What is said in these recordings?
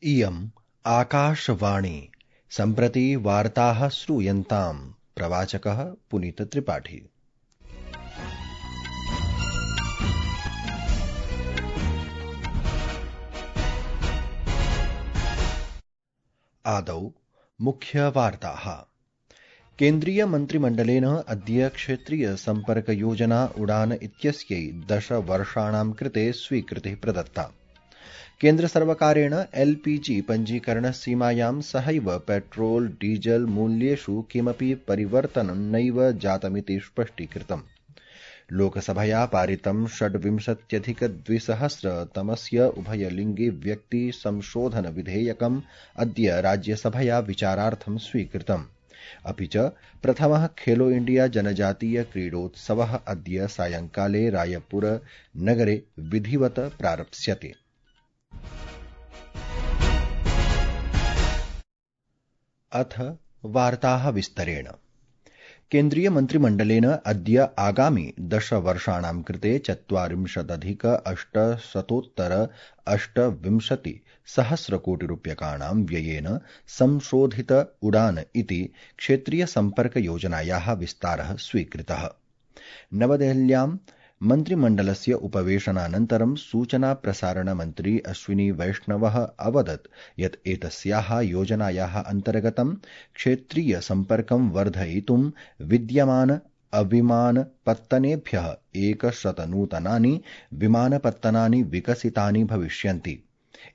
इयम् आकाशवाणी सम्प्रति वार्ताः श्रूयन्ताम्। प्रवाचकः पुनीतत्रिपाठी। आदौ मुख्यवार्ताः। केन्द्रीय मन्त्रिमण्डलेन अद्य क्षेत्रीय सम्पर्क योजना उड़ान इत्यस्यै 10 वर्षाणां कृते स्वीकृतिः प्रदत्ता। केन्द्रसर्वकारेण एलपीजी पञ्जीकरणसीमायां सहैव पेट्रोल डीजल मूल्येषु किमपि परिवर्तनं नैव जातमिति स्पष्टीकृतम्। लोकसभया पारितं 26-2000 उभयलिङ्गि व्यक्ति संशोधन विधेयकम् अद्य राज्यसभया विचारार्थं स्वीकृतम्। अपि च प्रथमः खेलो इंडिया जनजातीय क्रीडोत्सवः अद्य सायंकाले रायपुर नगरे विधिवत् प्रारप्स्यते। अथ वार्ताः विस्तरेण। केन्द्रीय मन्त्रिमण्डलेन अद्य आगामि 10 वर्षाणां कृते 40,828 कोटिरूप्यकाणां व्ययेन संशोधित उड़ान इति क्षेत्रीय सम्पर्क योजनायाः विस्तारः स्वीकृतः। नवदेहल्यां मन्त्रिमण्डलस्य उपवेशनानन्तरं सूचना प्रसारण मन्त्री अश्विनी वैष्णवः अवदत् यत् एतस्याः योजनायाः अन्तर्गतं क्षेत्रीय सम्पर्कं वर्धयितुं विद्यमान अविमानपत्तनेभ्यः 100 नूतनानि विमानपत्तनानि विकसितानि भविष्यन्ति।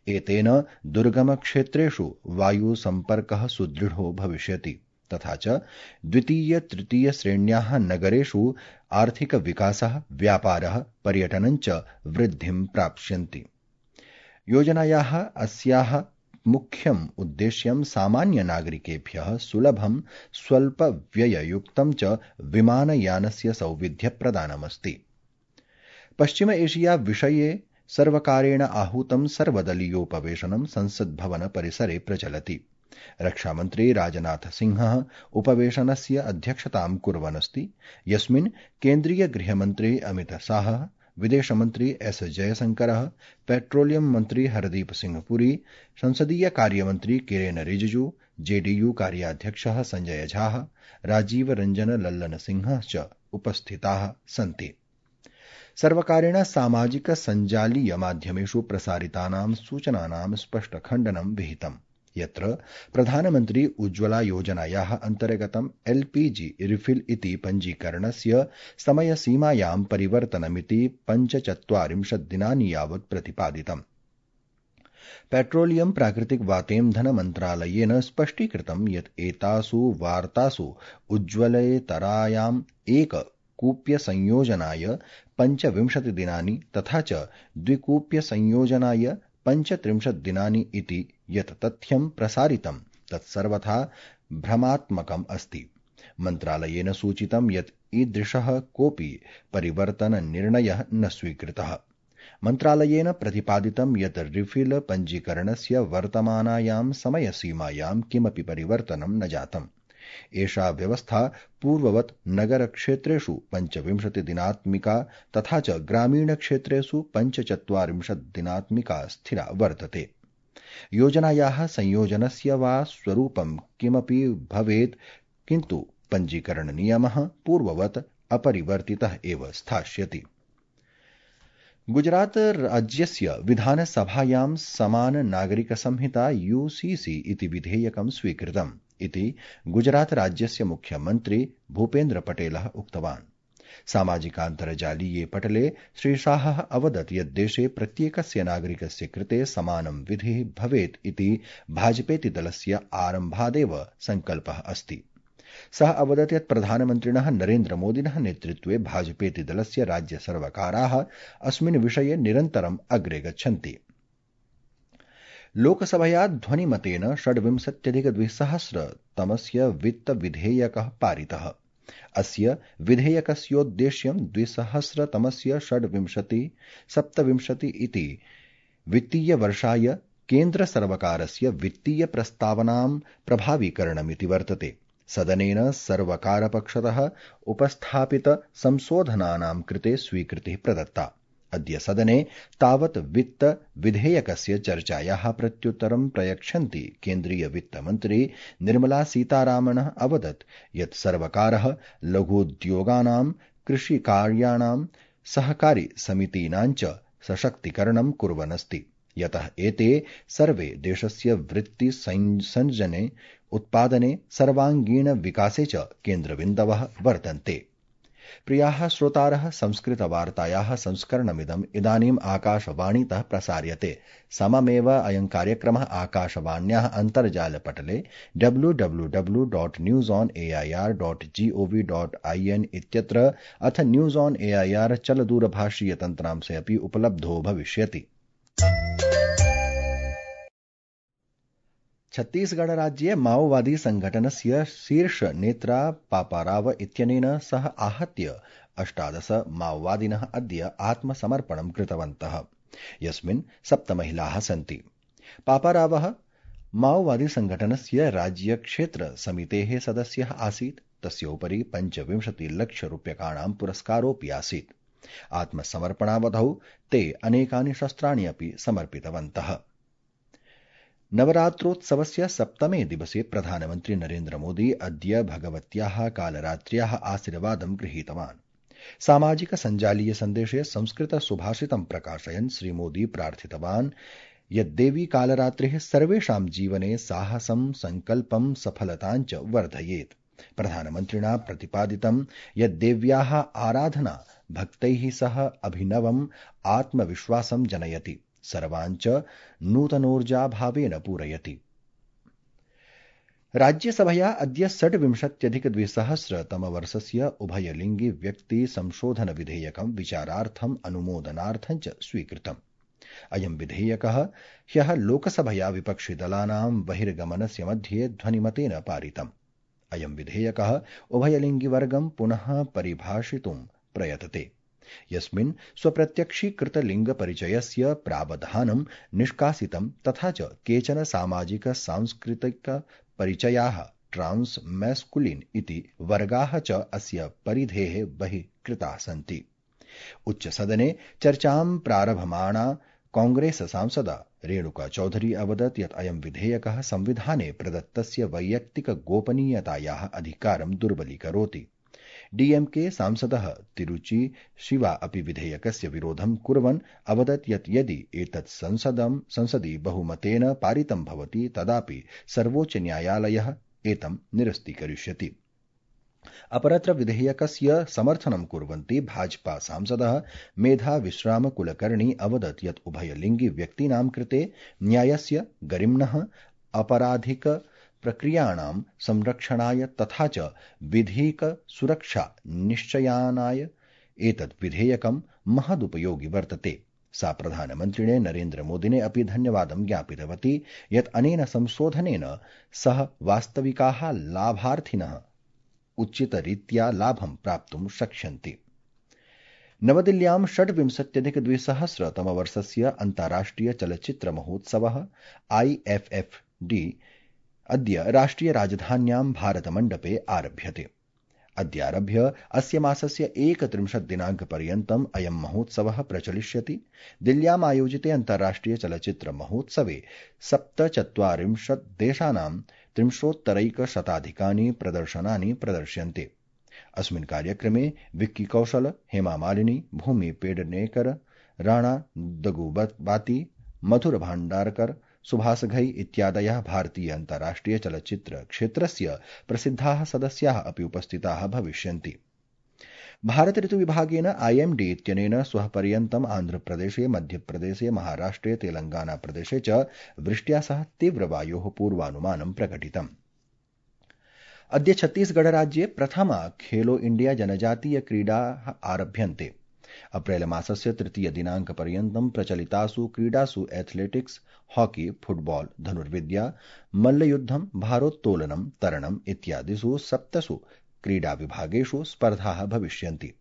एतेन दुर्गमक्षेत्रेषु वायुसम्पर्कः सुदृढो भविष्यति तथा च द्वितीय तृतीय श्रेण्याः नगरेषु आर्थिकविकासः, व्यापारः, पर्यटनं च वृद्धिं प्राप्स्यन्ति। योजनायाः अस्याः मुख्यम् उद्देश्यं सामान्यनागरिकेभ्यः सुलभं स्वल्पव्यययुक्तं च विमानयानस्य सौविध्यप्रदानमस्ति। पश्चिम एशिया विषये सर्वकारेण आहूतं सर्वदलीयोपवेशनं संसद्भवन परिसरे प्रचलति। रक्षामन्त्री राजनाथ सिंहः उपवेशनस्य अध्यक्षतां कुर्वन्नस्ति, यस्मिन् केन्द्रीय गृहमन्त्री अमित शाहः, विदेशमन्त्री एस जयशंकरः, पेट्रोलियम मन्त्री हरदीप सिंह पुरी, संसदीय कार्यमन्त्री किरेन रिजिजू, जेडीयू कार्याध्यक्षः संजय झा, राजीव रंजन लल्लन सिंहः च उपस्थिताः सन्ति। सर्वकारेण सामाजिक सञ्जालीय माध्यमेषु प्रसारितानां सूचनानां स्पष्टखण्डनं विहितम्, यत्र प्रधानमन्त्री उज्ज्वला योजनायाः अन्तर्गतं एलपीजी रिफिल इति पञ्जीकरणस्य समयसीमायां परिवर्तनमिति 45 दिनानि यावत् प्रतिपादितम्। पेट्रोलियम प्राकृतिक वातेन्धन मन्त्रालयेन स्पष्टीकृतं यत् एतासु वार्तासु उज्ज्वलेतरायाम् एक कूप्यसंयोजनाय 25 दिनानि तथा च द्विकूप्यसंयोजनाय 35 दिनानि इति यत् तथ्यं प्रसारितं तत् सर्वथा भ्रमात्मकम् अस्ति। मन्त्रालयेन सूचितं यत् ईदृशः कोऽपि परिवर्तननिर्णयः न स्वीकृतः। मन्त्रालयेन प्रतिपादितं यत् रिफिल पञ्जीकरणस्य वर्तमानायां समयसीमायां किमपि परिवर्तनं न जातम्। एषा व्यवस्था पूर्ववत् नगरक्षेत्रेषु 25 दिनात्मिका तथा च ग्रामीणक्षेत्रेषु 45 दिनात्मिका स्थिरा वर्तते। योजनायाः संयोजनस्य वा स्वरूपं किमपि भवेत्, किन्तु पञ्जीकरणनियमः पूर्ववत् अपरिवर्तितः एव स्थास्यति। गुजरात राज्यस्य विधानसभायां समान नागरिक संहिता यूसीसी इति विधेयकं स्वीकृतम् इति गुजरात राज्यस्य मुख्यमन्त्री भूपेन्द्र पटेलः उक्तवान्। सामाजिकान्तर्जालीये पटले श्री शाहः अवदत् यत् देशे प्रत्येकस्य नागरिकस्य कृते समानं विधिः भवेत् इति भाजपेति दलस्य आरम्भादेव सङ्कल्पः अस्ति। सः अवदत् यत् प्रधानमन्त्रिणः नरेन्द्र मोदिनः नेतृत्वे भाजपेति दलस्य राज्यसर्वकाराः अस्मिन् विषये निरन्तरम् अग्रे गच्छन्ति। लोकसभया ध्वनिमतेन 26-2000 वित्तविधेयकः पारितः। अस्य विधेयकस्योद्देश्यं 2000-26 इति वित्तीयवर्षाय केन्द्रसर्वकारस्य वित्तीयप्रस्तावनां प्रभावीकरणमिति वर्तते। सदनेन सर्वकारपक्षतः उपस्थापित संशोधनानां कृते स्वीकृतिः प्रदत्ता। अद्य सदने तावत् वित्त विधेयकस्य चर्चायाः प्रत्युत्तरं प्रयच्छन्ति केन्द्रीय वित्तमन्त्री निर्मला सीतारामनः अवदत् यत् सर्वकारः लघूद्योगानां कृषिकार्याणां सहकारी समितीनां च सशक्तीकरणं कुर्वन् अस्ति यतः एते सर्वे देशस्य वृत्ति संसर्जने उत्पादने सर्वांगीण विकासे च केन्द्रबिन्दवः वर्तन्ते। प्रियाः श्रोतारः संस्कृतवार्तायाः संस्करणमिदम् इदानीम् आकाशवाणीतः प्रसार्यते। सममेव अयं कार्यक्रमः आकाशवाण्याः अन्तर्जालपटले www.newsonair.gov.in इत्यत्र अथ न्यूज ऑन एआईआर चलदूरभाषीयतन्त्रांशे अपि उपलब्धो भविष्यति। छत्तीसगढ़ राज्ये माओवादी संघटनस्य शीर्ष नेत्रा पापाराव इत्यनेन सह आहत्य 18 माओवादिनः अद्य आत्मसमर्पणं कृतवन्तः यस्मिन् 7 महिलाः सन्ति। पापारावः माओवादी संघटनस्य राज्यक्षेत्र समितेः सदस्यः आसीत्। तस्योपरि 25 लक्षरूप्यकाणां पुरस्कारोऽपि आसीत्। आत्मसमर्पणावधौ ते अनेकानि शस्त्राणि अपि समर्पितवन्तः। नवरात्रोत्सवस्य 7मे दिवसे प्रधानमन्त्री नरेन्द्र मोदी अद्य भगवत्याः कालरात्र्याः आशीर्वादं गृहीतवान्। सामाजिक सञ्जालीय सन्देशे संस्कृत सुभाषितं प्रकाशयन् श्रीमोदी प्रार्थितवान् यद्देवी कालरात्रिः सर्वेषां जीवने साहसं संकल्पं सफलतां च वर्धयेत्। प्रधानमन्त्रिणा प्रतिपादितं यद्देव्याः आराधना भक्तैः सह अभिनवम् आत्मविश्वासं जनयति, सर्वाञ्च नूतनोर्जाभावेन पूरयति। राज्यसभया अद्य 26,200 उभयलिङ्गि व्यक्ति संशोधन विधेयकं विचारार्थम् अनुमोदनार्थं च स्वीकृतम्। अयं विधेयकः ह्यः लोकसभया विपक्षिदलानां बहिर्गमनस्य मध्ये ध्वनिमतेन पारितम्। अयं विधेयकः उभयलिङ्गिवर्गं पुनः परिभाषितुं प्रयतते, यस्मिन् स्वप्रत्यक्षीकृतलिङ्गपरिचयस्य प्रावधानं निष्कासितं तथा च केचन सामाजिक सांस्कृतिक परिचयाः ट्रांस मैस्कुलिन इति वर्गाः च अस्य परिधेः बहिः कृताः सन्ति। उच्चसदने चर्चां प्रारभमाणा कांग्रेस सांसदा रेणुका चौधरी अवदत् यत् अयं विधेयकः संविधाने प्रदत्तस्य वैयक्तिक गोपनीयतायाः अधिकारं दुर्बलीकरोति। डीएमके सांसदः तिरुचि शिवा अपि विधेयकस्य विरोधं कुर्वन् अवदत् यत् यदि एतत् संसदि बहुमतेन पारितं भवति तदापि सर्वोच्च न्यायालयः एतं निरस्तीकरिष्यति। अपरत्र विधेयकस्य समर्थनं कुर्वन्ति भाजपा सांसदः मेधा विश्राम कुलकर्णी अवदत् यत् उभयलिङ्गि व्यक्तीनां कृते न्यायस्य गरिम्नः अपराधिक प्रक्रियाणां संरक्षणाय तथा च विधिक सुरक्षा निश्चयानाय एतत् विधेयकं महदुपयोगि वर्तते। सा प्रधानमन्त्रिणे नरेन्द्र मोदिने अपि धन्यवादं ज्ञापितवती यत् अनेन संशोधनेन सह वास्तविकाः लाभार्थिनः उचितरीत्या लाभं प्राप्तुं शक्ष्यन्ति। नवदिल्ल्यां 26,200 तमवर्षस्य अन्ताराष्ट्रिय चलच्चित्र महोत्सवः IFFD अद्य राष्ट्रिय राजधान्यां भारतमण्डपे आरभ्यते। अद्यारभ्य अस्य मासस्य 31 दिनाङ्कपर्यन्तम् अयं महोत्सवः प्रचलिष्यति। दिल्ल्याम् आयोजिते अन्ताराष्ट्रिय चलच्चित्र महोत्सवे 47 देशानां 300 प्रदर्शनानि प्रदर्श्यन्ते। अस्मिन् कार्यक्रमे विक्की कौशल, हेमा मालिनी, भूमि पेडनेकर, राणा दगुबाती, मधुर भाण्डारकर, सुभाष घई इत्यादयः भारतीय अन्ताराष्ट्रिय चलच्चित्र क्षेत्रस्य प्रसिद्धाः सदस्याः अपि उपस्थिताः भविष्यन्ति। भारत ऋतुविभागेन IMD इत्यनेन श्वः पर्यन्तम् आन्ध्रप्रदेशे, मध्यप्रदेशे, महाराष्ट्रे, तेलंगाना प्रदेशे च वृष्ट्या सह तीव्रवायोः पूर्वानुमानं प्रकटितम्। अद्य छत्तीसगढ़ राज्ये प्रथमा खेलो इंडिया जनजातीय क्रीडाः आरभ्यन्ते। अप्रैल मासस्य 3 दिनाङ्कपर्यन्तं प्रचलितासु क्रीडासु एथलेटिक्स, हॉकी, फुटबॉल, धनुर्विद्या, मल्लयुद्धं, भारोत्तोलनं, तरणम् इत्यादिषु 7 क्रीडाविभागेषु स्पर्धाः भविष्यन्ति।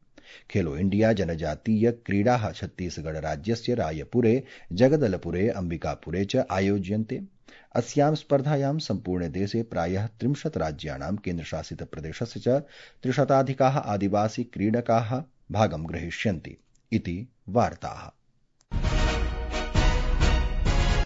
खेलो इंडिया जनजातीय क्रीडाः छत्तीसगढ़ राज्यस्य रायपुरे, जगदलपुरे, अंबिकापुरे च आयोज्यन्ते। अस्यां स्पर्धायां सम्पूर्णे देशे प्रायः 30 राज्याणां केन्द्रशासितप्रदेशस्य च 300 आदिवासी क्रीडकाः भागं ग्रहीष्यन्ति। इति वार्ताः।